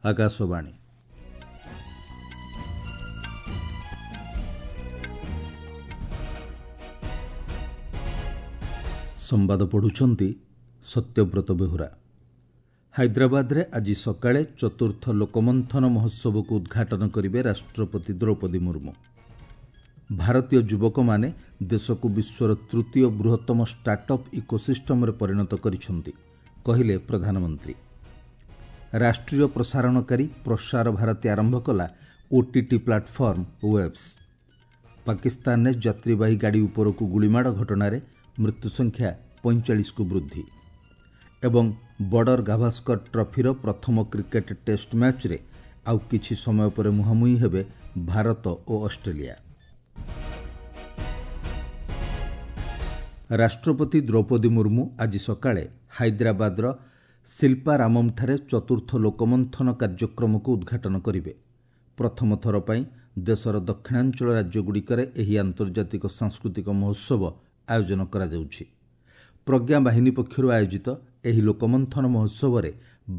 ଆକାଶବାଣୀ। ସମ୍ବାଦ ପଢ଼ୁଛନ୍ତି ସତ୍ୟବ୍ରତ ବେହୁରା। ହାଇଦ୍ରାବାଦରେ ଆଜି ସକାଳେ ଚତୁର୍ଥ ଲୋକମନ୍ଥନ ମହୋତ୍ସବକୁ ଉଦ୍ଘାଟନ କରିବେ ରାଷ୍ଟ୍ରପତି ଦ୍ରୌପଦୀ ମୁର୍ମୁ। ଭାରତୀୟ ଯୁବକମାନେ ଦେଶକୁ ବିଶ୍ୱର ତୃତୀୟ ବୃହତ୍ତମ ଷ୍ଟାର୍ଟଅପ୍ ଇକୋସିଷ୍ଟମରେ ପରିଣତ କରିଛନ୍ତି, କହିଲେ ପ୍ରଧାନମନ୍ତ୍ରୀ। ରାଷ୍ଟ୍ରୀୟ ପ୍ରସାରଣକାରୀ ପ୍ରସାର ଭାରତୀ ଆରମ୍ଭ କଲା ଓଟିଟି ପ୍ଲାଟଫର୍ମ ୱେବ୍ସ। ପାକିସ୍ତାନରେ ଯାତ୍ରୀବାହୀ ଗାଡ଼ି ଉପରକୁ ଗୁଳିମାଡ଼ ଘଟଣାରେ ମୃତ୍ୟୁ ସଂଖ୍ୟା 45କୁ ବୃଦ୍ଧି। ଏବଂ ବର୍ଡର ଗାଭାସ୍କର ଟ୍ରଫିର ପ୍ରଥମ କ୍ରିକେଟ୍ ଟେଷ୍ଟ ମ୍ୟାଚ୍ରେ ଆଉ କିଛି ସମୟ ପରେ ମୁହାଁମୁହିଁ ହେବେ ଭାରତ ଓ ଅଷ୍ଟ୍ରେଲିଆ। ରାଷ୍ଟ୍ରପତି ଦ୍ରୌପଦୀ ମୁର୍ମୁ ଆଜି ସକାଳେ ହାଇଦ୍ରାବାଦର ଶିଳ୍ପାରାମମ୍ଠାରେ ଚତୁର୍ଥ ଲୋକମନ୍ଥନ କାର୍ଯ୍ୟକ୍ରମକୁ ଉଦ୍ଘାଟନ କରିବେ। ପ୍ରଥମ ଥର ପାଇଁ ଦେଶର ଦକ୍ଷିଣାଞ୍ଚଳ ରାଜ୍ୟଗୁଡ଼ିକରେ ଏହି ଆନ୍ତର୍ଜାତିକ ସାଂସ୍କୃତିକ ମହୋତ୍ସବ ଆୟୋଜନ କରାଯାଉଛି। ପ୍ରଜ୍ଞା ବାହିନୀ ପକ୍ଷରୁ ଆୟୋଜିତ ଏହି ଲୋକମନ୍ଥନ ମହୋତ୍ସବରେ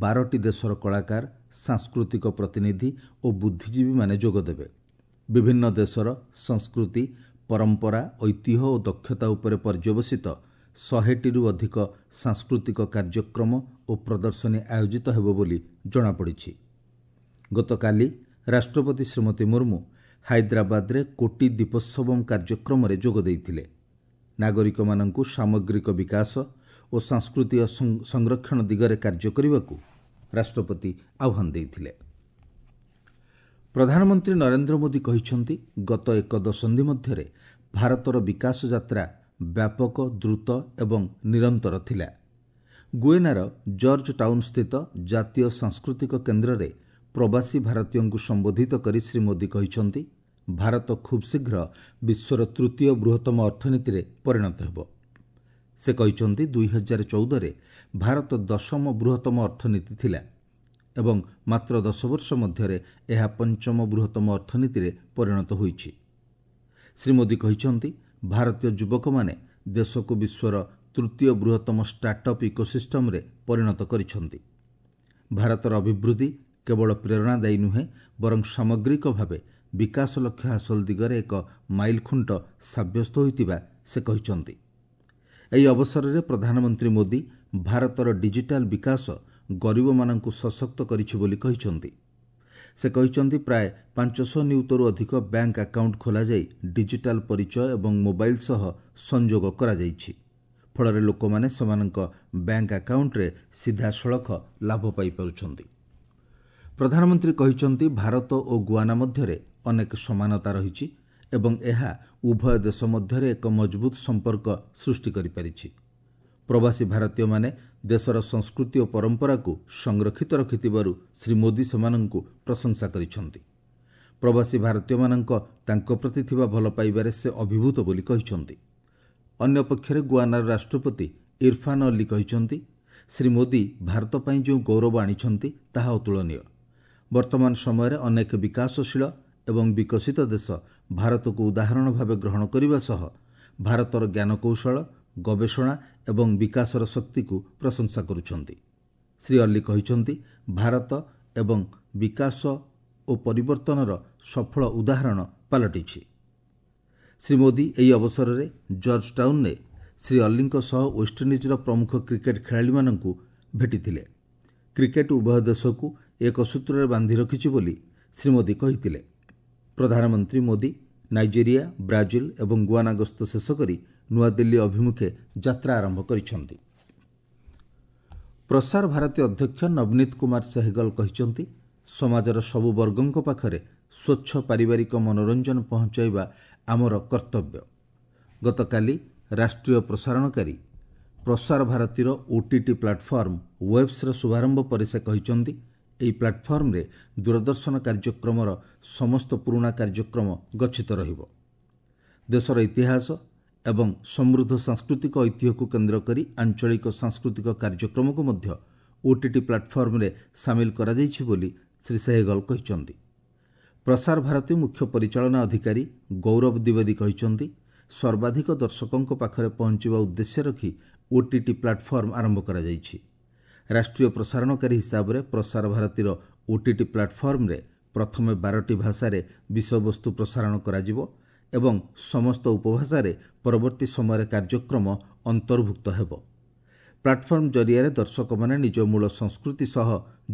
12ଟି ଦେଶର କଳାକାର, ସାଂସ୍କୃତିକ ପ୍ରତିନିଧି ଓ ବୁଦ୍ଧିଜୀବୀମାନେ ଯୋଗଦେବେ। ବିଭିନ୍ନ ଦେଶର ସଂସ୍କୃତି, ପରମ୍ପରା, ଐତିହ୍ୟ ଓ ଦକ୍ଷତା ଉପରେ ପର୍ଯ୍ୟବସିତ 100ଟିରୁ ଅଧିକ ସାଂସ୍କୃତିକ କାର୍ଯ୍ୟକ୍ରମ ଓ ପ୍ରଦର୍ଶନୀ ଆୟୋଜିତ ହେବ ବୋଲି ଜଣାପଡ଼ିଛି। ଗତକାଲି ରାଷ୍ଟ୍ରପତି ଶ୍ରୀମତୀ ମୁର୍ମୁ ହାଇଦ୍ରାବାଦରେ କୋଟି ଦୀପୋତ୍ସବମ୍ କାର୍ଯ୍ୟକ୍ରମରେ ଯୋଗ ଦେଇଥିଲେ। ନାଗରିକମାନଙ୍କୁ ସାମଗ୍ରିକ ବିକାଶ ଓ ସାଂସ୍କୃତିକ ସଂରକ୍ଷଣ ଦିଗରେ କାର୍ଯ୍ୟ କରିବାକୁ ରାଷ୍ଟ୍ରପତି ଆହ୍ୱାନ ଦେଇଥିଲେ। ପ୍ରଧାନମନ୍ତ୍ରୀ ନରେନ୍ଦ୍ର ମୋଦି କହିଛନ୍ତି, ଗତ ଏକ ଦଶନ୍ଧି ମଧ୍ୟରେ ଭାରତର ବିକାଶ ଯାତ୍ରା ବ୍ୟାପକ, ଦ୍ରୁତ ଏବଂ ନିରନ୍ତର ଥିଲା। ଗୁଏନାର ଜର୍ଜ ଟାଉନ୍ସ୍ଥିତ ଜାତୀୟ ସାଂସ୍କୃତିକ କେନ୍ଦ୍ରରେ ପ୍ରବାସୀ ଭାରତୀୟଙ୍କୁ ସମ୍ବୋଧିତ କରି ଶ୍ରୀ ମୋଦି କହିଛନ୍ତି, ଭାରତ ଖୁବ୍ ଶୀଘ୍ର ବିଶ୍ୱର ତୃତୀୟ ବୃହତ୍ତମ ଅର୍ଥନୀତିରେ ପରିଣତ ହେବ। ସେ କହିଛନ୍ତି, 2014ରେ ଭାରତ ଦଶମ ବୃହତ୍ତମ ଅର୍ଥନୀତି ଥିଲା ଏବଂ ମାତ୍ର 10 ବର୍ଷ ମଧ୍ୟରେ ଏହା ପଞ୍ଚମ ବୃହତ୍ତମ ଅର୍ଥନୀତିରେ ପରିଣତ ହୋଇଛି। ଶ୍ରୀ ମୋଦି କହିଛନ୍ତି, ଭାରତୀୟ ଯୁବକମାନେ ଦେଶକୁ ବିଶ୍ୱର ତୃତୀୟ ବୃହତ୍ତମ ଷ୍ଟାର୍ଟଅପ୍ ଇକୋସିଷ୍ଟମରେ ପରିଣତ କରିଛନ୍ତି। ଭାରତର ଅଭିବୃଦ୍ଧି କେବଳ ପ୍ରେରଣାଦାୟୀ ନୁହେଁ, ବରଂ ସାମଗ୍ରିକ ଭାବେ ବିକାଶ ଲକ୍ଷ୍ୟ ହାସଲ ଦିଗରେ ଏକ ମାଇଲଖୁଣ୍ଟ ସାବ୍ୟସ୍ତ ହୋଇଥିବା ସେ କହିଛନ୍ତି। ଏହି ଅବସରରେ ପ୍ରଧାନମନ୍ତ୍ରୀ ମୋଦି ଭାରତର ଡିଜିଟାଲ ବିକାଶ ଗରିବମାନଙ୍କୁ ସଶକ୍ତ କରିଛି ବୋଲି କହିଛନ୍ତି। ସେ କହିଛନ୍ତି, ପ୍ରାୟ 500 ନିୟୁତରୁ ଅଧିକ ବ୍ୟାଙ୍କ ଆକାଉଣ୍ଟ ଖୋଲାଯାଇ ଡିଜିଟାଲ ପରିଚୟ ଏବଂ ମୋବାଇଲ ସହ ସଂଯୋଗ କରାଯାଇଛି। ଫଳରେ ଲୋକମାନେ ସେମାନଙ୍କ ବ୍ୟାଙ୍କ ଆକାଉଣ୍ଟରେ ସିଧାସଳଖ ଲାଭ ପାଇପାରୁଛନ୍ତି। ପ୍ରଧାନମନ୍ତ୍ରୀ କହିଛନ୍ତି, ଭାରତ ଓ ଗୁଆନା ମଧ୍ୟରେ ଅନେକ ସମାନତା ରହିଛି ଏବଂ ଏହା ଉଭୟ ଦେଶ ମଧ୍ୟରେ ଏକ ମଜବୁତ ସମ୍ପର୍କ ସୃଷ୍ଟି କରିପାରିଛି। ପ୍ରବାସୀ ଭାରତୀୟମାନେ ଦେଶର ସଂସ୍କୃତି ଓ ପରମ୍ପରାକୁ ସଂରକ୍ଷିତ ରଖିଥିବାରୁ ଶ୍ରୀ ମୋଦି ସେମାନଙ୍କୁ ପ୍ରଶଂସା କରିଛନ୍ତି। ପ୍ରବାସୀ ଭାରତୀୟମାନଙ୍କ ତାଙ୍କ ପ୍ରତି ଥିବା ଭଲ ପାଇବାରେ ସେ ଅଭିଭୂତ ବୋଲି କହିଛନ୍ତି। ଅନ୍ୟପକ୍ଷରେ ଗୁଆନାର ରାଷ୍ଟ୍ରପତି ଇରଫାନ ଅଲ୍ଲୀ କହିଛନ୍ତି, ଶ୍ରୀ ମୋଦି ଭାରତ ପାଇଁ ଯେଉଁ ଗୌରବ ଆଣିଛନ୍ତି ତାହା ଅତୁଳନୀୟ। ବର୍ତ୍ତମାନ ସମୟରେ ଅନେକ ବିକାଶଶୀଳ ଏବଂ ବିକଶିତ ଦେଶ ଭାରତକୁ ଉଦାହରଣ ଭାବେ ଗ୍ରହଣ କରିବା ସହ ଭାରତର ଜ୍ଞାନକୌଶଳ, ଗବେଷଣା ଏବଂ ବିକାଶର ଶକ୍ତିକୁ ପ୍ରଶଂସା କରୁଛନ୍ତି। ଶ୍ରୀ ଅଲ୍ଲୀ କହିଛନ୍ତି, ଭାରତ ଏବଂ ବିକାଶ ଓ ପରିବର୍ତ୍ତନର ସଫଳ ଉଦାହରଣ ପାଲଟିଛି। ଶ୍ରୀ ମୋଦି ଏହି ଅବସରରେ ଜର୍ଜ ଟାଉନରେ ଶ୍ରୀ ଅଲ୍ଲୀଙ୍କ ସହ ୱେଷ୍ଟଇଣ୍ଡିଜ୍ର ପ୍ରମୁଖ କ୍ରିକେଟ୍ ଖେଳାଳିମାନଙ୍କୁ ଭେଟିଥିଲେ। କ୍ରିକେଟ୍ ଉଭୟ ଦେଶକୁ ଏକ ସୂତ୍ରରେ ବାନ୍ଧି ରଖିଛି ବୋଲି ଶ୍ରୀ ମୋଦି କହିଥିଲେ। ପ୍ରଧାନମନ୍ତ୍ରୀ ମୋଦି ନାଇଜେରିଆ, ବ୍ରାଜିଲ ଏବଂ ଗୁଆନା ଗସ୍ତ ଶେଷ କରି ନୂଆଦିଲ୍ଲୀ ଅଭିମୁଖେ ଯାତ୍ରା ଆରମ୍ଭ କରିଛନ୍ତି। ପ୍ରସାର ଭାରତୀ ଅଧ୍ୟକ୍ଷ ନବନୀତ କୁମାର ସେହଗଲ କହିଛନ୍ତି, ସମାଜର ସବୁ ବର୍ଗଙ୍କ ପାଖରେ ସ୍ୱଚ୍ଛ ପାରିବାରିକ ମନୋରଞ୍ଜନ ପହଞ୍ଚାଇବା ଆମର କର୍ତ୍ତବ୍ୟ। ଗତକାଲି ରାଷ୍ଟ୍ରୀୟ ପ୍ରସାରଣକାରୀ ପ୍ରସାର ଭାରତୀର ଓଟିଟି ପ୍ଲାଟଫର୍ମ ୱେବ୍ସର ଶୁଭାରମ୍ଭ ପରେ ସେ କହିଛନ୍ତି, ଏହି ପ୍ଲାଟଫର୍ମରେ ଦୂରଦର୍ଶନ କାର୍ଯ୍ୟକ୍ରମର ସମସ୍ତ ପୁରୁଣା କାର୍ଯ୍ୟକ୍ରମ ଗଚ୍ଛିତ ରହିବ। ଦେଶର ଇତିହାସ ଏବଂ ସମୃଦ୍ଧ ସାଂସ୍କୃତିକ ଐତିହ୍ୟକୁ କେନ୍ଦ୍ର କରି ଆଞ୍ଚଳିକ ସାଂସ୍କୃତିକ କାର୍ଯ୍ୟକ୍ରମକୁ ମଧ୍ୟ ଓଟିଟି ପ୍ଲାଟଫର୍ମରେ ସାମିଲ କରାଯାଇଛି ବୋଲି ଶ୍ରୀ ସେହଗଲ କହିଛନ୍ତି। ପ୍ରସାର ଭାରତୀ ମୁଖ୍ୟ ପରିଚାଳନା ଅଧିକାରୀ ଗୌରବ ଦ୍ୱିବେଦୀ କହିଛନ୍ତି, ସର୍ବାଧିକ ଦର୍ଶକଙ୍କ ପାଖରେ ପହଞ୍ଚିବା ଉଦ୍ଦେଶ୍ୟ ରଖି ଓଟିଟି ପ୍ଲାଟଫର୍ମ ଆରମ୍ଭ କରାଯାଇଛି। ରାଷ୍ଟ୍ରୀୟ ପ୍ରସାରଣକାରୀ ହିସାବରେ ପ୍ରସାର ଭାରତୀର ଓଟିଟି ପ୍ଲାଟଫର୍ମରେ ପ୍ରଥମେ 12ଟି ଭାଷାରେ ବିଷୟବସ୍ତୁ ପ୍ରସାରଣ କରାଯିବ ଏବଂ ସମସ୍ତ ଉପଭାଷାରେ ପରବର୍ତ୍ତୀ ସମୟରେ କାର୍ଯ୍ୟକ୍ରମ ଅନ୍ତର୍ଭୁକ୍ତ ହେବ। ପ୍ଲାଟଫର୍ମ ଜରିଆରେ ଦର୍ଶକମାନେ ନିଜ ମୂଳ ସଂସ୍କୃତି ସହ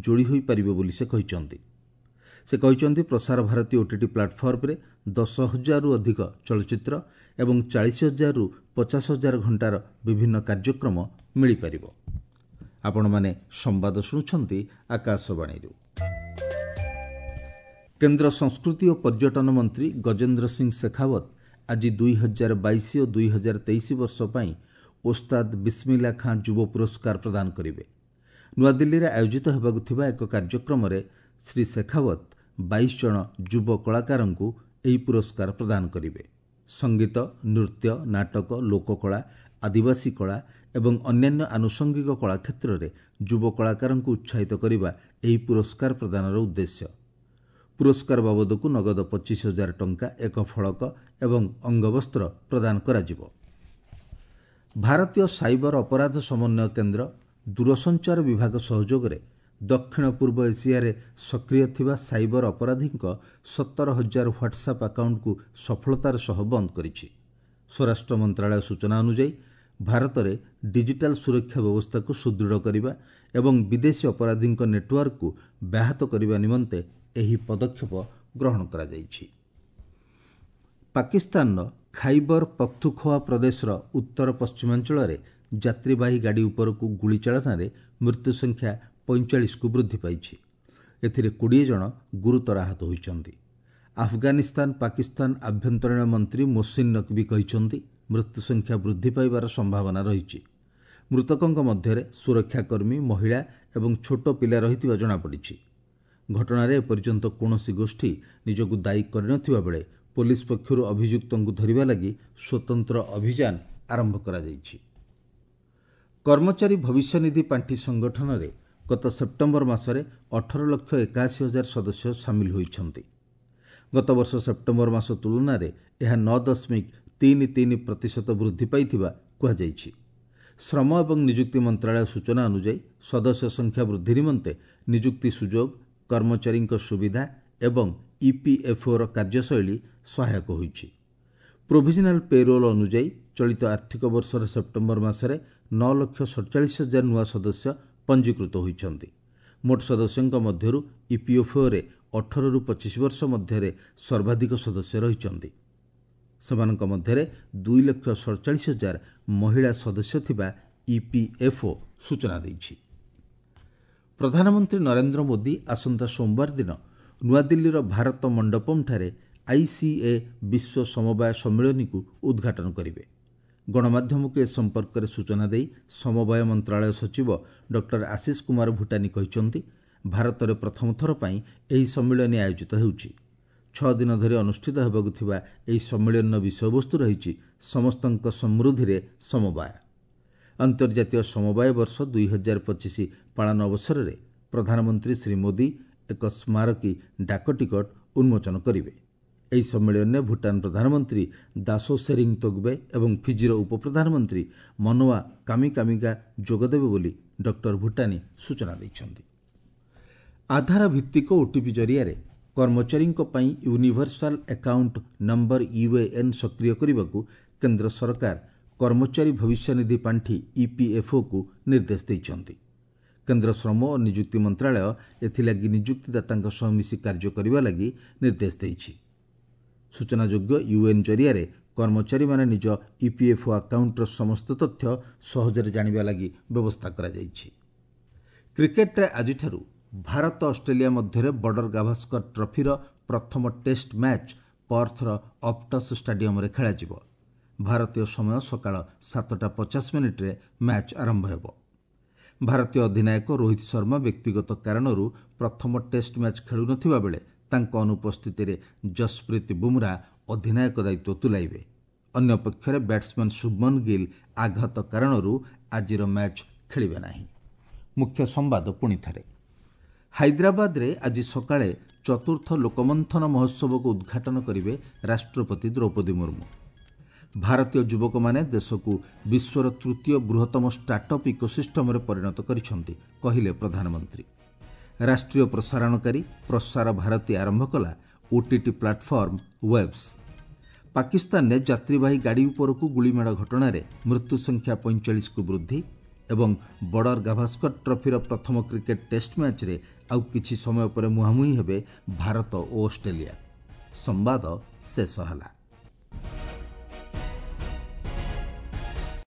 ଯୋଡ଼ି ହୋଇପାରିବେ ବୋଲି ସେ କହିଛନ୍ତି। ସେ କହିଛନ୍ତି, ପ୍ରସାର ଭାରତୀ ଓଟିଟି ପ୍ଲାଟଫର୍ମରେ 10,000ରୁ ଅଧିକ ଚଳଚ୍ଚିତ୍ର ଏବଂ 40,000ରୁ 50,000 ଘଣ୍ଟାର ବିଭିନ୍ନ କାର୍ଯ୍ୟକ୍ରମ ମିଳିପାରିବ। ଆପଣମାନେ ସମ୍ବାଦ ଶୁଣୁଛନ୍ତି ଆକାଶବାଣୀରୁ। କେନ୍ଦ୍ର ସଂସ୍କୃତି ଓ ପର୍ଯ୍ୟଟନ ମନ୍ତ୍ରୀ ଗଜେନ୍ଦ୍ର ସିଂ ଶେଖାୱତ ଆଜି 2022 ଓ 2023 ବର୍ଷ ପାଇଁ ଓସ୍ତାଦ ବିସ୍ମିଲ୍ଲା ଖାଁ ଯୁବ ପୁରସ୍କାର ପ୍ରଦାନ କରିବେ। ନୂଆଦିଲ୍ଲୀରେ ଆୟୋଜିତ ହେବାକୁ ଥିବା ଏକ କାର୍ଯ୍ୟକ୍ରମରେ ଶ୍ରୀ ଶେଖାୱତ 22 ଜଣ ଯୁବ କଳାକାରଙ୍କୁ ଏହି ପୁରସ୍କାର ପ୍ରଦାନ କରିବେ। ସଙ୍ଗୀତ, ନୃତ୍ୟ, ନାଟକ, ଲୋକକଳା, ଆଦିବାସୀ କଳା ଏବଂ ଅନ୍ୟାନ୍ୟ ଆନୁଷଙ୍ଗିକ କଳା କ୍ଷେତ୍ରରେ ଯୁବ କଳାକାରଙ୍କୁ ଉତ୍ସାହିତ କରିବା ଏହି ପୁରସ୍କାର ପ୍ରଦାନର ଉଦ୍ଦେଶ୍ୟ। ପୁରସ୍କାର ବାବଦକୁ ନଗଦ 25,000 ଟଙ୍କା, ଏକ ଫଳକ ଏବଂ ଅଙ୍ଗବସ୍ତ୍ର ପ୍ରଦାନ କରାଯିବ। ଭାରତୀୟ ସାଇବର ଅପରାଧ ସମନ୍ୱୟ କେନ୍ଦ୍ର ଦୂରସଞ୍ଚାର ବିଭାଗ ସହଯୋଗରେ ଦକ୍ଷିଣ ପୂର୍ବ ଏସିଆରେ ସକ୍ରିୟ ଥିବା ସାଇବର ଅପରାଧୀଙ୍କ 17,000 ହ୍ୱାଟ୍ସଆପ୍ ଆକାଉଣ୍ଟକୁ ସଫଳତାର ସହ ବନ୍ଦ କରିଛି। ସ୍ୱରାଷ୍ଟ୍ର ମନ୍ତ୍ରାଳୟ ସୂଚନା ଅନୁଯାୟୀ, ଭାରତରେ ଡିଜିଟାଲ ସୁରକ୍ଷା ବ୍ୟବସ୍ଥାକୁ ସୁଦୃଢ଼ କରିବା ଏବଂ ବିଦେଶୀ ଅପରାଧୀଙ୍କ ନେଟୱାର୍କକୁ ବ୍ୟାହତ କରିବା ନିମନ୍ତେ ଏହି ପଦକ୍ଷେପ ଗ୍ରହଣ କରାଯାଇଛି। ପାକିସ୍ତାନର ଖାଇବର ପଖ୍ତୁଖୋଆ ପ୍ରଦେଶର ଉତ୍ତର ପଶ୍ଚିମାଞ୍ଚଳରେ ଯାତ୍ରୀବାହୀ ଗାଡ଼ି ଉପରକୁ ଗୁଳିଚାଳନାରେ ମୃତ୍ୟୁ ସଂଖ୍ୟା 45କୁ ବୃଦ୍ଧି ପାଇଛି। ଏଥିରେ 20 ଜଣ ଗୁରୁତର ଆହତ ହୋଇଛନ୍ତି। ଆଫଗାନିସ୍ତାନ ପାକିସ୍ତାନ ଆଭ୍ୟନ୍ତରୀଣ ମନ୍ତ୍ରୀ ମୋସିନ୍ ନକଭି କହିଛନ୍ତି, ମୃତ୍ୟୁ ସଂଖ୍ୟା ବୃଦ୍ଧି ପାଇବାର ସମ୍ଭାବନା ରହିଛି। ମୃତକଙ୍କ ମଧ୍ୟରେ ସୁରକ୍ଷାକର୍ମୀ, ମହିଳା ଏବଂ ଛୋଟ ପିଲା ରହିଥିବା ଜଣାପଡ଼ିଛି। ଘଟଣାରେ ଏପର୍ଯ୍ୟନ୍ତ କୌଣସି ଗୋଷ୍ଠୀ ନିଜକୁ ଦାୟୀ କରିନଥିବା ବେଳେ ପୋଲିସ ପକ୍ଷରୁ ଅଭିଯୁକ୍ତଙ୍କୁ ଧରିବା ଲାଗି ସ୍ୱତନ୍ତ୍ର ଅଭିଯାନ ଆରମ୍ଭ କରାଯାଇଛି। କର୍ମଚାରୀ ଭବିଷ୍ୟନିଧି ପାଣ୍ଠି ସଂଗଠନରେ ଗତ ସେପ୍ଟେମ୍ବର ମାସରେ 18,81,000 ସଦସ୍ୟ ସାମିଲ ହୋଇଛନ୍ତି। ଗତବର୍ଷ ସେପ୍ଟେମ୍ବର ମାସ ତୁଳନାରେ ଏହା 9.33% ବୃଦ୍ଧି ପାଇଥିବା କୁହାଯାଇଛି। ଶ୍ରମ ଏବଂ ନିଯୁକ୍ତି ମନ୍ତ୍ରାଳୟ ସୂଚନା ଅନୁଯାୟୀ, ସଦସ୍ୟ ସଂଖ୍ୟା ବୃଦ୍ଧି ନିମନ୍ତେ ନିଯୁକ୍ତି ସୁଯୋଗ, କର୍ମଚାରୀଙ୍କ ସୁବିଧା ଏବଂ ଇପିଏଫ୍ଓର କାର୍ଯ୍ୟଶୈଳୀ ସହାୟକ ହୋଇଛି। ପ୍ରୋଭିଜନାଲ ପେରୋଲ୍ ଅନୁଯାୟୀ ଚଳିତ ଆର୍ଥିକ ବର୍ଷର ସେପ୍ଟେମ୍ବର ମାସରେ 9,47,000 ନୂଆ ସଦସ୍ୟ ପଞ୍ଜୀକୃତ ହୋଇଛନ୍ତି। ମୋଟ ସଦସ୍ୟଙ୍କ ମଧ୍ୟରୁ ଇପିଏଫ୍ଓରେ 18ରୁ 25 ବର୍ଷ ମଧ୍ୟରେ ସର୍ବାଧିକ ସଦସ୍ୟ ରହିଛନ୍ତି। ସେମାନଙ୍କ ମଧ୍ୟରେ 2,47,000 ମହିଳା ସଦସ୍ୟ ଥିବା ଇପିଏଫ୍ଓ ସୂଚନା ଦେଇଛି। ପ୍ରଧାନମନ୍ତ୍ରୀ ନରେନ୍ଦ୍ର ମୋଦି ଆସନ୍ତା ସୋମବାର ଦିନ ନୂଆଦିଲ୍ଲୀର ଭାରତ ମଣ୍ଡପମ୍ଠାରେ ଆଇସିଏ ବିଶ୍ୱ ସମବାୟ ସମ୍ମିଳନୀକୁ ଉଦ୍ଘାଟନ କରିବେ। ଗଣମାଧ୍ୟମକୁ ଏ ସମ୍ପର୍କରେ ସୂଚନା ଦେଇ ସମବାୟ ମନ୍ତ୍ରାଳୟ ସଚିବ ଡକ୍ଟର ଆଶିଷ କୁମାର ଭୁଟାନି କହିଛନ୍ତି, ଭାରତରେ ପ୍ରଥମ ଥର ପାଇଁ ଏହି ସମ୍ମିଳନୀ ଆୟୋଜିତ ହେଉଛି। 6 ଦିନ ଧରି ଅନୁଷ୍ଠିତ ହେବାକୁ ଥିବା ଏହି ସମ୍ମିଳନୀର ବିଷୟବସ୍ତୁ ରହିଛି ସମସ୍ତଙ୍କ ସମୃଦ୍ଧିରେ ସମବାୟ। ଅନ୍ତର୍ଜାତୀୟ ସମବାୟ ବର୍ଷ 2025 ପାଳନ ଅବସରରେ ପ୍ରଧାନମନ୍ତ୍ରୀ ଶ୍ରୀ ମୋଦି ଏକ ସ୍ମାରକୀ ଡାକ ଟିକଟ ଉନ୍ମୋଚନ କରିବେ। ଏହି ସମ୍ମିଳନୀରେ ଭୁଟାନ ପ୍ରଧାନମନ୍ତ୍ରୀ ଦାସୋ ସେରିଂ ତୋଗବେ ଏବଂ ଫିଜିର ଉପପ୍ରଧାନମନ୍ତ୍ରୀ ମନୋଆ କାମିକାମିକା ଯୋଗଦେବେ ବୋଲି ଡକ୍ଟର ଭୁଟାନି ସୂଚନା ଦେଇଛନ୍ତି। ଆଧାର ଭିତ୍ତିକ ଓଟିପି ଜରିଆରେ କର୍ମଚାରୀଙ୍କ ପାଇଁ ୟୁନିଭର୍ସାଲ ଆକାଉଣ୍ଟ ନମ୍ବର ୟୁଏଏନ୍ ସକ୍ରିୟ କରିବାକୁ କେନ୍ଦ୍ର ସରକାର କର୍ମଚାରୀ ଭବିଷ୍ୟନିଧି ପାଣ୍ଠି ଇପିଏଫ୍ଓକୁ ନିର୍ଦ୍ଦେଶ ଦେଇଛନ୍ତି। କେନ୍ଦ୍ର ଶ୍ରମ ଓ ନିଯୁକ୍ତି ମନ୍ତ୍ରାଳୟ ଏଥିଲାଗି ନିଯୁକ୍ତିଦାତାଙ୍କ ସହ ମିଶି କାର୍ଯ୍ୟ କରିବା ଲାଗି ନିର୍ଦ୍ଦେଶ ଦେଇଛି। ସୂଚନାଯୋଗ୍ୟ, ୟୁଏନ୍ ଜରିଆରେ କର୍ମଚାରୀମାନେ ନିଜ ଇପିଏଫ୍ଓ ଆକାଉଣ୍ଟର ସମସ୍ତ ତଥ୍ୟ ସହଜରେ ଜାଣିବା ଲାଗି ବ୍ୟବସ୍ଥା କରାଯାଇଛି। କ୍ରିକେଟରେ ଆଜିଠାରୁ ଭାରତ ଅଷ୍ଟ୍ରେଲିଆ ମଧ୍ୟରେ ବର୍ଡର ଗାଭାସ୍କର ଟ୍ରଫିର ପ୍ରଥମ ଟେଷ୍ଟ ମ୍ୟାଚ୍ ପର୍ଥର ଅପ୍ଟସ୍ ଷ୍ଟାଡିୟମରେ ଖେଳାଯିବ। ଭାରତୀୟ ସମୟ ସକାଳ 7:50 ମ୍ୟାଚ୍ ଆରମ୍ଭ ହେବ। ଭାରତୀୟ ଅଧିନାୟକ ରୋହିତ ଶର୍ମା ବ୍ୟକ୍ତିଗତ କାରଣରୁ ପ୍ରଥମ ଟେଷ୍ଟ ମ୍ୟାଚ୍ ଖେଳୁନଥିବା ବେଳେ ତାଙ୍କ ଅନୁପସ୍ଥିତିରେ ଜସପ୍ରୀତ ବୁମରା ଅଧିନାୟକ ଦାୟିତ୍ୱ ତୁଲାଇବେ। ଅନ୍ୟପକ୍ଷରେ ବ୍ୟାଟ୍ସମ୍ୟାନ୍ ଶୁଭମନ ଗିଲ୍ ଆଘାତ କାରଣରୁ ଆଜିର ମ୍ୟାଚ୍ ଖେଳିବେ ନାହିଁ। ମୁଖ୍ୟ ସମ୍ବାଦ ପୁଣିଥରେ। ହାଇଦ୍ରାବାଦରେ ଆଜି ସକାଳେ ଚତୁର୍ଥ ଲୋକମନ୍ଥନ ମହୋତ୍ସବକୁ ଉଦ୍ଘାଟନ କରିବେ ରାଷ୍ଟ୍ରପତି ଦ୍ରୌପଦୀ ମୁର୍ମୁ। ଭାରତୀୟ ଯୁବକମାନେ ଦେଶକୁ ବିଶ୍ୱର ତୃତୀୟ ବୃହତ୍ତମ ଷ୍ଟାର୍ଟଅପ୍ ଇକୋସିଷ୍ଟମରେ ପରିଣତ କରିଛନ୍ତି, କହିଲେ ପ୍ରଧାନମନ୍ତ୍ରୀ। ରାଷ୍ଟ୍ରୀୟ ପ୍ରସାରଣକାରୀ ପ୍ରସାର ଭାରତୀ ଆରମ୍ଭ କଲା ଓଟିଟି ପ୍ଲାଟଫର୍ମ ୱେବ୍ସ। ପାକିସ୍ତାନରେ ଯାତ୍ରୀବାହୀ ଗାଡ଼ି ଉପରକୁ ଗୁଳିମାଡ଼ ଘଟଣାରେ ମୃତ୍ୟୁ ସଂଖ୍ୟା 45କୁ ବୃଦ୍ଧି ଏବଂ ବର୍ଡର ଗାଭାସ୍କର ଟ୍ରଫିର ପ୍ରଥମ କ୍ରିକେଟ୍ ଟେଷ୍ଟ ମ୍ୟାଚ୍ରେ ଆଉ କିଛି ସମୟ ପରେ ମୁହାଁମୁହିଁ ହେବେ ଭାରତ ଓ ଅଷ୍ଟ୍ରେଲିଆ। ସମ୍ବାଦ ଶେଷ ହେଲା।